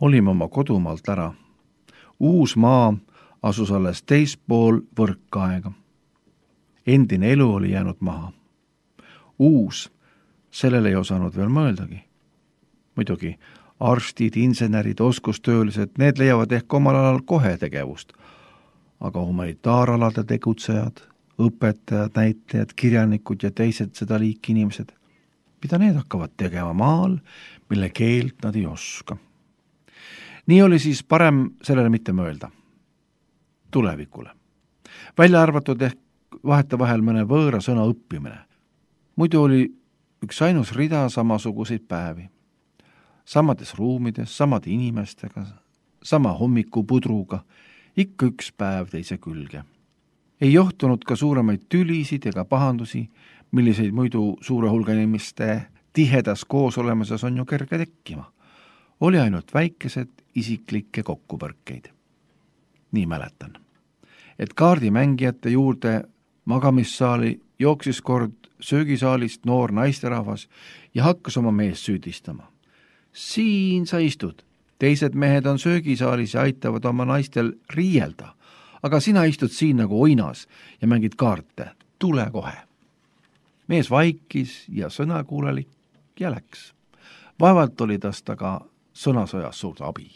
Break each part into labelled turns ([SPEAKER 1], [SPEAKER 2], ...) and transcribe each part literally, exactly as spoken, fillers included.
[SPEAKER 1] Olime oma kodumaalt ära. Uus maa asus alles teispool võrkaega. Endine elu oli jäänud maha. Uus, sellele ei osanud veel mõeldagi. Muidugi, arstid, insenerid, oskustöölised, need leiavad ehk omal alal kohe tegevust. Aga humanitaaralade tegutsejad, õpetajad, näitlejad, kirjanikud ja teised seda liiki inimesed, mida need hakkavad tegema maal, mille keelt nad ei oska. Nii oli siis parem sellele mitte mõelda. Tulevikule. Välja arvatud ehk vahetevahel mõne võõra sõna õppimine. Muidu oli üks ainus rida samasuguseid päevi. Samades ruumides, samade inimestega, sama hommikupudruga, ikka üks päev teise külge. Ei johtunud ka suuremaid tülisid ega pahandusi, milliseid muidu suure hulga inimeste tihedas koosolemises on ju kerge tekkima. Oli ainult väikesed isiklikke kokkupõrkeid. Nii mäletan, et kaardimängijate juurde magamissaali jooksis kord söögisaalist noor naisterahvas ja hakkas oma meest süüdistama. Siin sa istud, teised mehed on söögisaalis ja aitavad oma naistel riielda, aga sina istud siin nagu oinas ja mängid kaarte, tule kohe. Mees vaikis ja sõnakuulelik ja läks. Vaevalt oli tasta ka sõnasõjas suurt abi.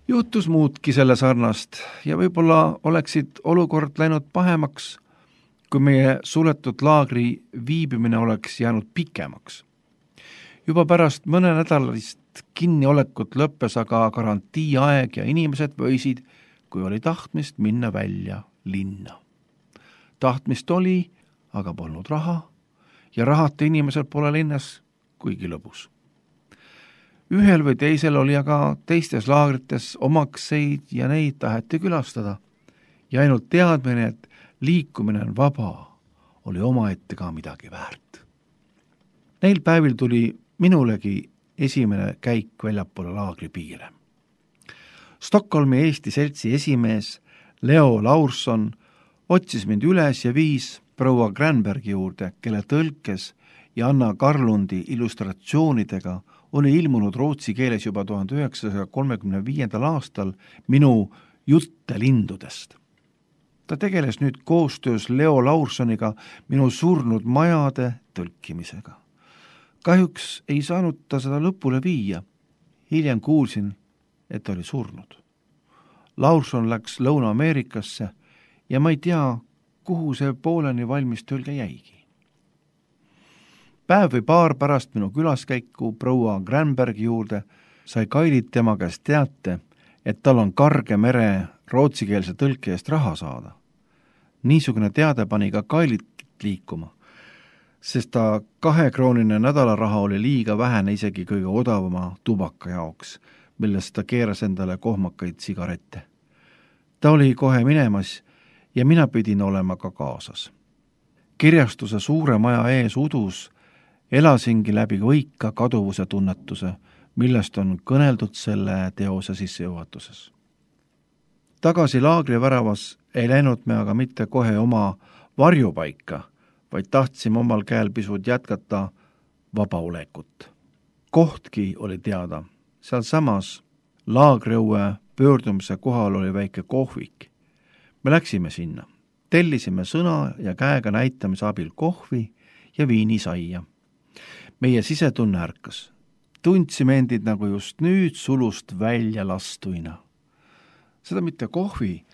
[SPEAKER 1] Juhtus muudki selle sarnast ja võib-olla oleksid olukord läinud pahemaks, kui meie suletud laagri viibimine oleks jäänud pikemaks. Juba pärast mõne nädalist kinniolekut lõppes aga garantiiaeg ja inimesed võisid, kui oli tahtmist, minna välja linna. Tahtmist oli, aga polnud raha ja rahata inimesel pole linnas kuigi lõbus. Ühel või teisel oli aga teistes laagrites omakseid ja neid taheti külastada ja ainult teadmine, et liikumine on vaba, oli omaette ka midagi väärt. Neil päevil tuli minulegi esimene käik väljapoole laagri piire. Stockholmi Eesti seltsi esimees Leo Laurson otsis mind üles ja viis proua Granbergi juurde, kelle tõlkes ja Anna Karlundi illustratsioonidega oli ilmunud rootsi keeles juba tuhande üheksasaja kolmekümne viiendal aastal minu jutte lindudest. Ta tegeles nüüd koostöös Leo Laursoniga minu surnud majade tõlkimisega. Kahjuks ei saanud ta seda lõpule viia. Hiljem kuulsin, et ta oli surnud. Laurson läks Lõuna-Ameerikasse ja ma ei tea, kuhu see pooleni valmis tõlge jäigi. Päev või paar pärast minu külaskäiku proua Granbergi juurde sai Kailit tema käest teate, et tal on Karge mere rootsikeelse tõlke eest raha saada. Niisugune teade pani ka Kailit liikuma, sest ta kahekroonine nädalaraha oli liiga vähene isegi kõige odavama tubaka jaoks, millest ta keeras endale kohmakaid sigarette. Ta oli kohe minemas ja mina pidin olema ka kaasas. Kirjastuse suure maja ees udus elasingi läbi võika kaduvuse tunnetuse, millest on kõneldud selle teose sissejuhatuses. Tagasi laagri väravas ei läinud me aga mitte kohe oma varjupaika, vaid tahtsime omal käel pisut jätkata vabaolekut. Kohtki oli teada, seal samas laagriõue pöördumise kohal oli väike kohvik. Me läksime sinna, tellisime sõna ja käega näitamise abil kohvi ja viinisaia. Meie sisetunne ärkas. Tundsime endid nagu just nüüd sulust välja lastuina. Seda mitte kohvi,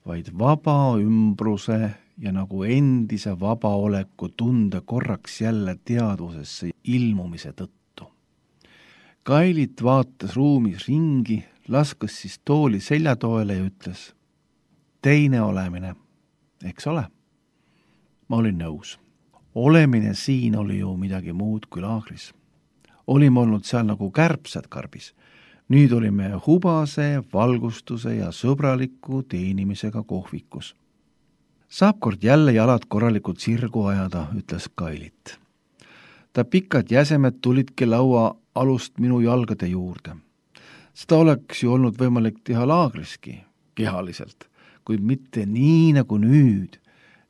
[SPEAKER 1] vaid vaba ümbruse ja nagu endise vabaoleku tunde korraks jälle teadvusesse ilmumise tõttu. Kailit vaatas ruumis ringi, laskas siis tooli seljatoele ja ütles, teine olemine, eks ole? Ma olin nõus. Olemine siin oli ju midagi muud kui laagris. Olime olnud seal nagu kärbsed karbis. Nüüd olime hubase, valgustuse ja sõbraliku teenimisega kohvikus. Saab kord jälle jalad korralikult sirgu ajada, ütles Kailit. Ta pikad jäsemed tulidki laua alust minu jalgade juurde. Seda oleks ju olnud võimalik teha laagriski, kehaliselt, kuid mitte nii nagu nüüd,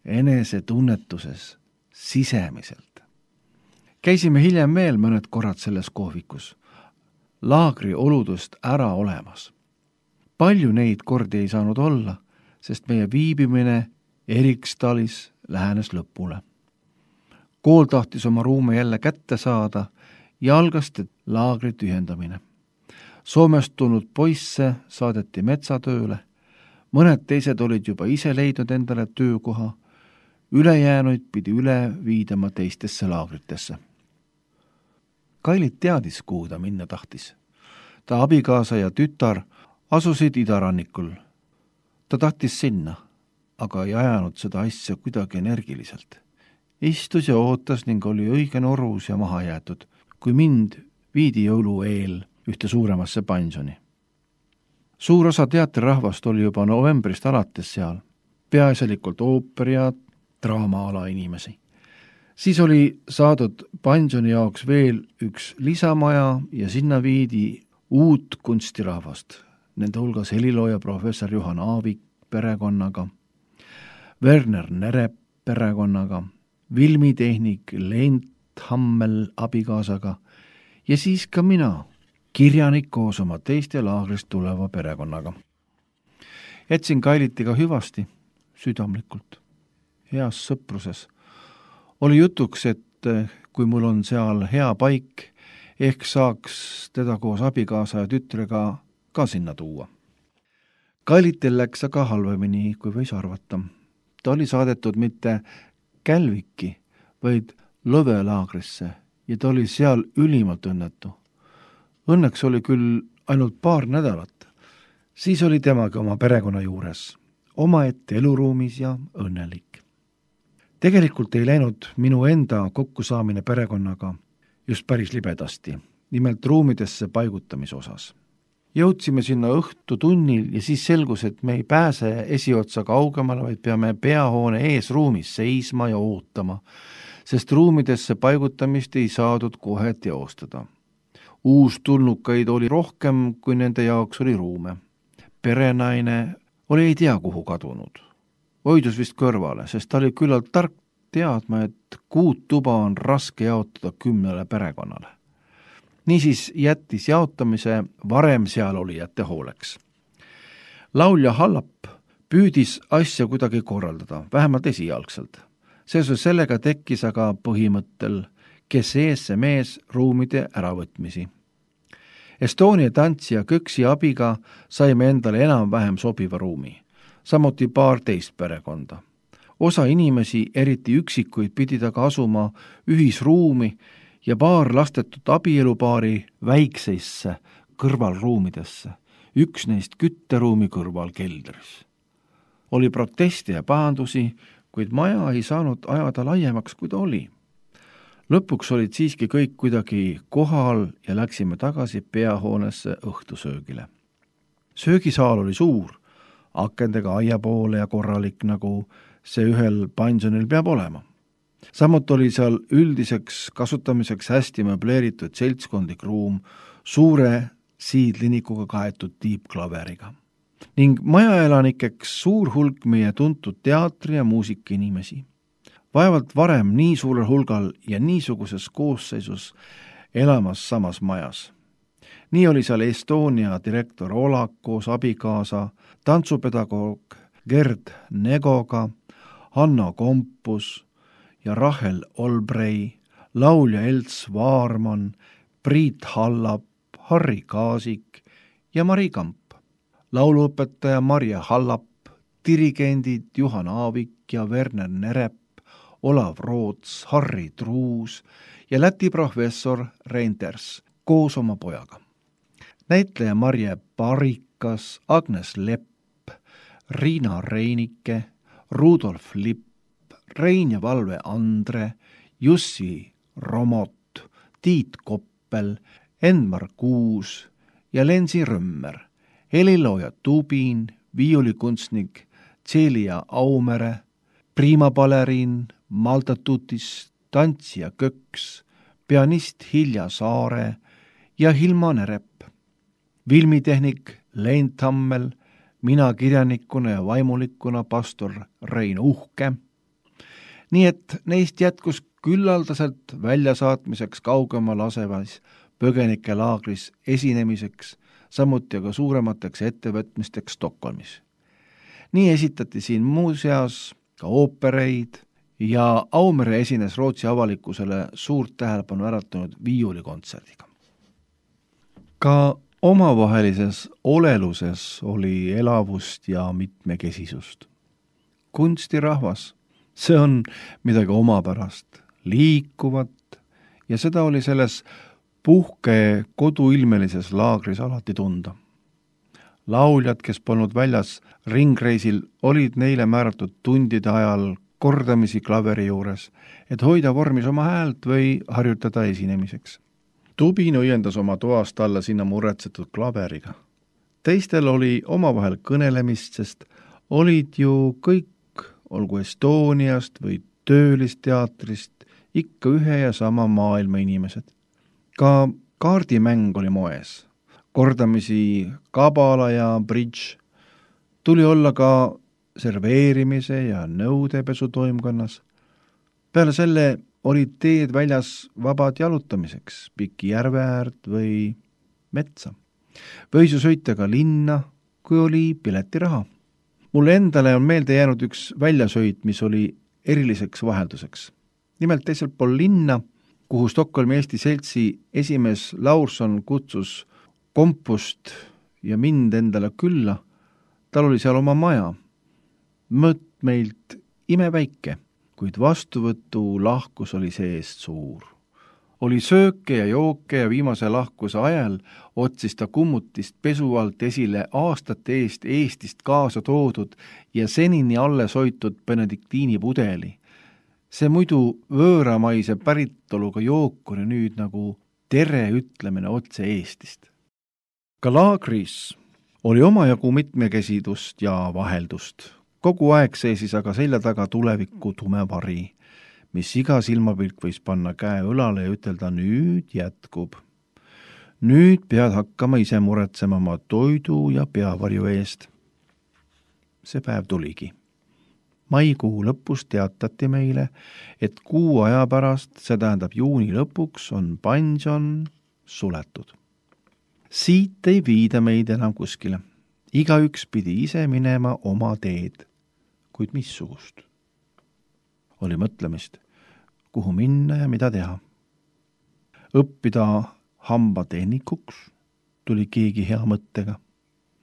[SPEAKER 1] enese tunnetuses, sisemiselt. Käisime hiljem veel mõned korrad selles kohvikus. laagri oludest ära olemas. Palju neid kordi ei saanud olla, sest meie viibimine Eriksdalis lähenes lõpule. Kool tahtis oma ruume jälle kätte saada ja algas laagri tühjendamine. Soomest tulnud poisse saadeti metsatööle, mõned teised olid juba ise leidnud endale töökoha, ülejäänuid pidi üle viidama teistesse laagritesse. Kailit teadis, kuhu ta minna tahtis. Ta abikaasa ja tütar asusid idarannikul. Ta tahtis sinna, aga ei ajanud seda asja kuidagi energiliselt. Istus ja ootas ning oli õige norus ja maha jäetud, kui mind viidi jõulu eel ühte suuremasse pansjoni. Suur osa teatrirahvast oli juba novembrist alates seal, peaasjalikult ooperi ja draamaala inimesi. Siis oli saadud pansjoni jaoks veel üks lisamaja ja sinna viidi uut kunstirahvast, nende hulgas helilooja professor Juhan Aavik perekonnaga, Werner Nerep perekonnaga, filmitehnik Lent Hammel abikaasaga ja siis ka mina, kirjanik koos oma teiste laagrist tuleva perekonnaga. Jätsin Kailitiga hüvasti, südamlikult, heas sõpruses. Oli jutuks, et kui mul on seal hea paik, ehk saaks teda koos abikaasa ja tütrega ka sinna tuua. Kailitil läks aga halvemini, kui võis arvata. Ta oli saadetud mitte Kälviki, vaid Lõve laagrisse ja ta oli seal ülimalt õnnetu. Õnneks oli küll ainult paar nädalat. Siis oli temagi oma perekonna juures, omaette eluruumis ja õnnelik. Tegelikult ei läinud minu enda kokkusaamine perekonnaga just päris libedasti, nimelt ruumidesse paigutamise osas. Jõudsime sinna õhtu tunnil ja siis selgus, et me ei pääse esiotsa kaugemale, vaid peame peahoone ees ruumis seisma ja ootama, sest ruumidesse paigutamist ei saadud kohe teostada. Uustulnukaid oli rohkem, kui nende jaoks oli ruume. Perenaine oli ei tea kuhu kadunud. Hoidus vist kõrvale, sest ta oli küllalt tark teadma, et kuut tuba on raske jaotada kümnele perekonnale. Niisiis jättis jaotamise varem seal olijate hooleks. Laulja Hallap püüdis asja kuidagi korraldada, vähemalt esialgselt. Seoses sellega tekkis aga põhimõttel, kes ees see mees ruumide äravõtmisi. Estonia tantsija Köksi abiga saime endale enam-vähem sobiva ruumi, samuti paar teist perekonda. Osa inimesi, eriti üksikuid, pidid aga asuma ühisruumi ja paar lastetud abielupaari väikseisse kõrvalruumidesse, üks neist kütteruumi kõrval keldris. Oli proteste ja pahandusi, kuid maja ei saanud ajada laiemaks, kui ta oli. Lõpuks olid siiski kõik kuidagi kohal ja läksime tagasi peahoonesse õhtusöögile. Söögisaal oli suur, akendega aia poole ja korralik, nagu see ühel pansjonil peab olema. Samuti oli seal üldiseks kasutamiseks hästi möbleeritud seltskondlik ruum suure siidlinikuga kaetud tiibklaveriga. Ning majaelanikeks suur hulk meie tuntud teatri- ja muusikainimesi. Vaevalt varem nii suurel hulgal ja niisuguses koosseisus elamas samas majas. Nii oli seal Estonia direktor Olak koos abikaasa, tantsupedagoog Gerd Negoga, Hanna Kompus ja Rahel Olbrei, laulja Elts Vaarman, Priit Hallap, Harri Kaasik ja Mari Kamp, lauluõpetaja Marja Hallap, dirigendid Juhan Aavik ja Werner Nerep, Olav Roots, Harri Truus ja Läti professor Reinders koos oma pojaga. Näitleja Marje Parikas, Agnes Lepp, Riina Reinike, Rudolf Lipp, Rein ja Valve Andre, Jussi Romot, Tiit Koppel, Enmar Kuus ja Lensi Römmer, helilooja Tubin, viiulikunstnik Celia Aumere, priimabaleriin Malta Tutis, tantsija Köks, pianist Hilja Saare ja Hilma Nerep, filmitehnik Lent Hammel, mina kirjanikuna ja vaimulikuna pastor Rein Uhke. Nii et neist jätkus küllaldaselt väljasaatmiseks kaugemal asevas põgenikelaagris esinemiseks, samuti aga suuremateks ettevõtmisteks Stockholmis. nii esitati siin muuseas ka oopereid ja Aumere esines Rootsi avalikkusele suurt tähelepanu äratanud viiulikontserdiga. Ka omavahelises oleluses oli elavust ja mitmekesisust. Kunstirahvas, see on midagi omapärast, liikuvat ja seda oli selles puhke koduilmelises laagris alati tunda. Lauljad, kes polnud väljas ringreisil, olid neile määratud tundide ajal kordamisi klaveri juures, et hoida vormis oma häält või harjutada esinemiseks. Tubin õiendas oma toast alla sinna muretsetud klaveriga. Teistel oli omavahel kõnelemist, sest olid ju kõik, olgu Estoniast või töölisteatrist, ikka ühe ja sama maailma inimesed. Ka kaardimäng oli moes. Kordamisi kabala ja bridž. Tuli olla ka serveerimise ja nõudepesu toimkonnas. Peale selle olid teed väljas vabad jalutamiseks, piki järve äärt või metsa. Võis ju sõita ka linna, kui oli piletiraha. Mulle endale on meelde jäänud üks väljasõit, mis oli eriliseks vahelduseks. Nimelt teiselt pool linna, kuhu Stockholmi Eesti Seltsi esimees Laurson kutsus kompust ja mind endale külla, tal oli seal oma maja. Mõtt meilt imeväike, kuid vastuvõtu lahkus oli seest suur. Oli sööke ja jooke ja viimase lahkuse ajal otsis ta kummutist pesu alt esile aastate eest Eestist kaasa toodud ja senini alles hoitud benediktiini pudeli. See muidu võõramaise päritoluga jook oli nüüd nagu tere ütlemine otse Eestist. Ka laagris oli omajagu mitmekesidust ja vaheldust. Kogu aeg seisis aga selja taga tuleviku tume vari, mis iga silmapilk võis panna käe õlale ja ütelda, nüüd jätkub. Nüüd pead hakkama ise muretsema oma toidu ja peavarju eest. See päev tuligi. Maikuu lõpus teatati meile, et kuu aja pärast, see tähendab juuni lõpuks, on pension suletud. Siit ei viida meid enam kuskile. Igaüks pidi ise minema oma teed, kuid missugust. Oli mõtlemist, kuhu minna ja mida teha. Õppida hambatehnikuks tuli keegi hea mõttega.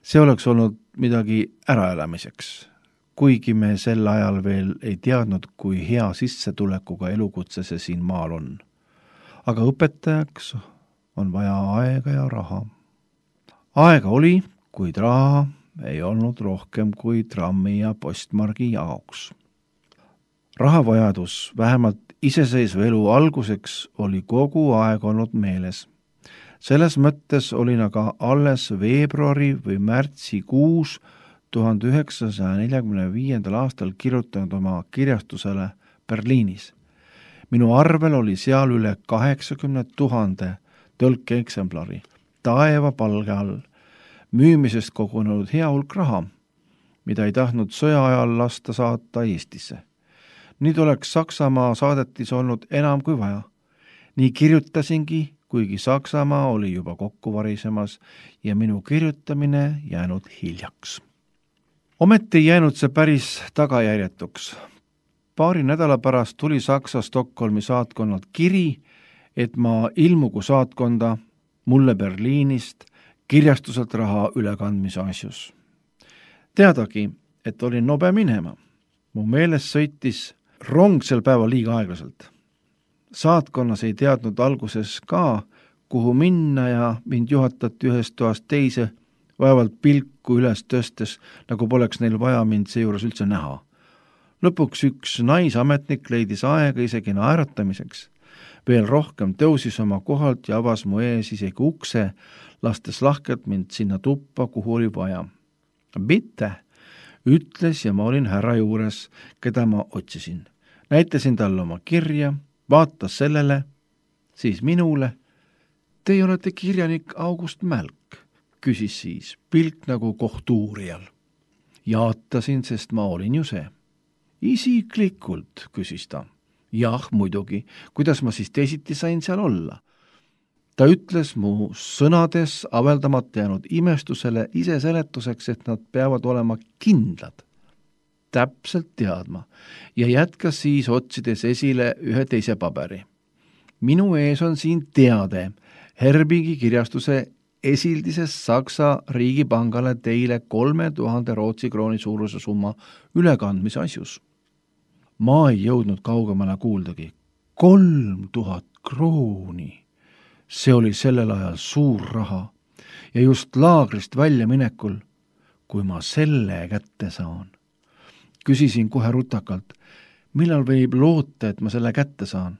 [SPEAKER 1] See oleks olnud midagi äraelamiseks, kuigi me sel ajal veel ei teadnud, kui hea sissetulekuga elukutse see siin maal on. Aga õpetajaks on vaja aega ja raha. Aega oli, kuid raha ei olnud rohkem kui trammi ja postmargi jaoks. Rahavajadus vähemalt iseseisva elu alguseks oli kogu aeg olnud meeles. Selles mõttes olin aga alles veebruari või märtsi kuus tuhande üheksasaja neljakümne viiendal aastal kirjutanud oma kirjastusele Berliinis. Minu arvel oli seal üle kaheksakümne tuhande tõlkeeksemplari taeva palge all, müümisest kogunenud hea hulk raha, mida ei tahtnud sõja ajal lasta saata Eestisse. Nüüd oleks Saksamaa saadetis olnud enam kui vaja. Nii kirjutasingi, kuigi Saksamaa oli juba kokku varisemas ja minu kirjutamine jäänud hiljaks. Ometi ei jäänud see päris tagajärjetuks. Paari nädala pärast tuli Saksa Stockholmi saatkonnalt kiri, et ma ilmugu saatkonda mulle Berliinist kirjastuselt raha ülekandmise asjus. Teadagi, et olin nobe minema. Mu meeles sõitis rong sel päeval liiga aeglaselt. Saatkonnas ei teadnud alguses ka, kuhu minna ja mind juhatati ühest toast teise, vaevalt pilku üles tõstes, nagu poleks neil vaja mind seejuures üldse näha. Lõpuks üks naisametnik leidis aega isegi naeratamiseks. Veel rohkem tõusis oma kohalt ja avas mu ees isegi ukse, lastes lahkelt mind sinna tuppa, kuhu oli vaja. Bitte, ütles ja ma olin härra juures, keda ma otsisin. Näitasin talle oma kirja, vaatas sellele, siis minule. Teie olete kirjanik August Mälk, küsis siis, pilk nagu kohtuurijal. Jaatasin, sest ma olin ju see. Isiklikult, küsis ta. Jah, muidugi, kuidas ma siis teisiti sain seal olla? Ta ütles mu sõnades aveldamata jäänud imestusele ise seletuseks, et nad peavad olema kindlad, täpselt teadma, ja jätkas siis otsides esile ühe teise paberi. Minu ees on siin teade Herbigi kirjastuse esildises Saksa riigipangale teile kolme tuhande Rootsi krooni suuruse summa ülekandmise asjus. Ma ei jõudnud kaugemale kuuldagi. Kolm tuhat krooni. See oli sellel ajal suur raha ja just laagrist välja minekul, kui ma selle kätte saan. Küsisin kohe rutakalt, millal võib loota, et ma selle kätte saan.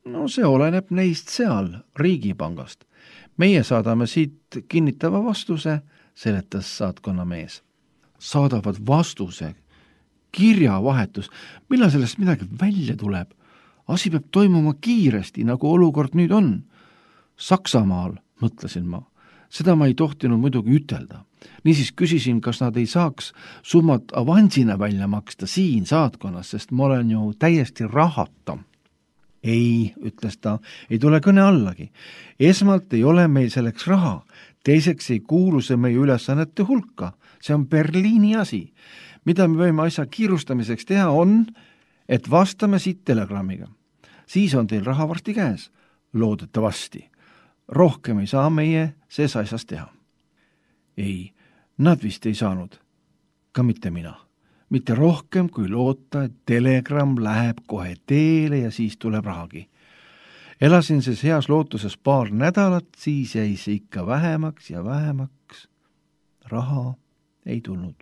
[SPEAKER 1] No see oleneb neist seal, riigipangast. Meie saadame siit kinnitava vastuse, seletas saatkonna mees. Saadavad vastuse, kirjavahetus, millal sellest midagi välja tuleb. Asi peab toimuma kiiresti, nagu olukord nüüd on. Saksamaal, mõtlesin ma. Seda ma ei tohtinud muidugi ütelda. Niisiis küsisin, kas nad ei saaks summat avansina välja maksta siin saatkonnas, sest ma olen ju täiesti rahata. Ei, ütles ta, ei tule kõne allagi. Esmalt ei ole meil selleks raha. Teiseks ei kuulu see meie ülesannete hulka. See on Berliini asi. Mida me võime asja kiirustamiseks teha on, et vastame siit telegrammiga. Siis on teil raha varsti käes. Loodetavasti. Rohkem ei saa meie sees asjas teha. Ei, nad vist ei saanud. Ka mitte mina. Mitte rohkem kui loota, et telegramm läheb kohe teele ja siis tuleb rahagi. Elasin siis heas lootuses paar nädalat, siis jäi see ikka vähemaks ja vähemaks. Raha ei tulnud.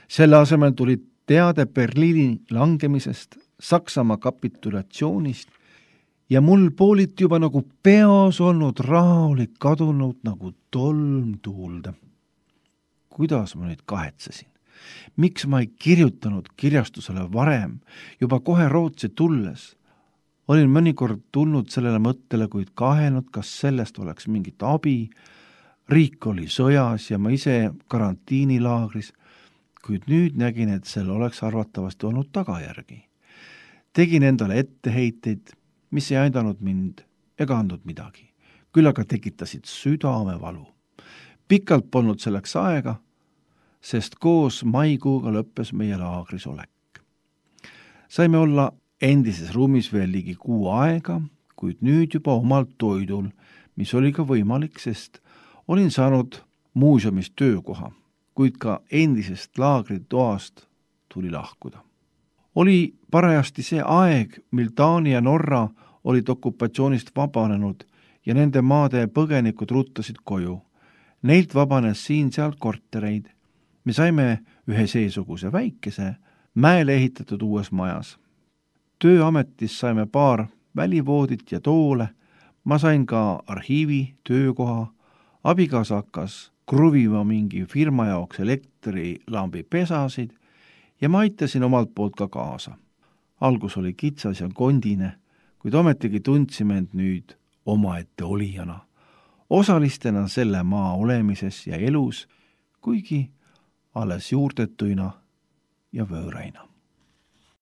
[SPEAKER 1] Selle asemel tuli teade Berliini langemisest, Saksamaa kapitulatsioonist ja mul pooliti juba nagu peos olnud raha oli kadunud nagu tolm tuulde. Kuidas ma nüüd kahetsesin? Miks ma ei kirjutanud kirjastusele varem, juba kohe Rootsi tulles? Olin mõnikord tulnud sellele mõttele, kuid kahelnud, kas sellest oleks mingit abi. Riik oli sõjas ja ma ise karantiinilaagris, kuid nüüd nägin, et sel oleks arvatavasti olnud tagajärgi. Tegin endale etteheiteid, mis ei aidanud mind ega andnud midagi. Küll aga tekitasid südamevalu. Pikalt polnud selleks aega, sest koos maikuuga lõppes meie laagris olek. Saime olla endises ruumis veel ligi kuu aega, kuid nüüd juba omalt toidul, mis oli ka võimalik, sest olin saanud muuseumis töökoha, kuid ka endisest laagritoast tuli lahkuda. Oli parajasti see aeg, mil Taani ja Norra olid okupatsioonist vabanenud ja nende maade põgenikud ruttasid koju. Neilt vabanes siin-sealt kortereid. Me saime ühe seesuguse väikese, mäele ehitatud uues majas. Tööametis saime paar välivoodit ja toole, ma sain ka arhiivi töökoha, abikaasa hakkas kruvima mingi firma jaoks elektrilambi pesasid ja ma aitasin omalt poolt ka kaasa. Algus oli kitsas ja kondine, kuid ometigi tundsime end nüüd omaette olijana, osalistena selle maa olemises ja elus, kuigi alles juurdetuina ja võõraina.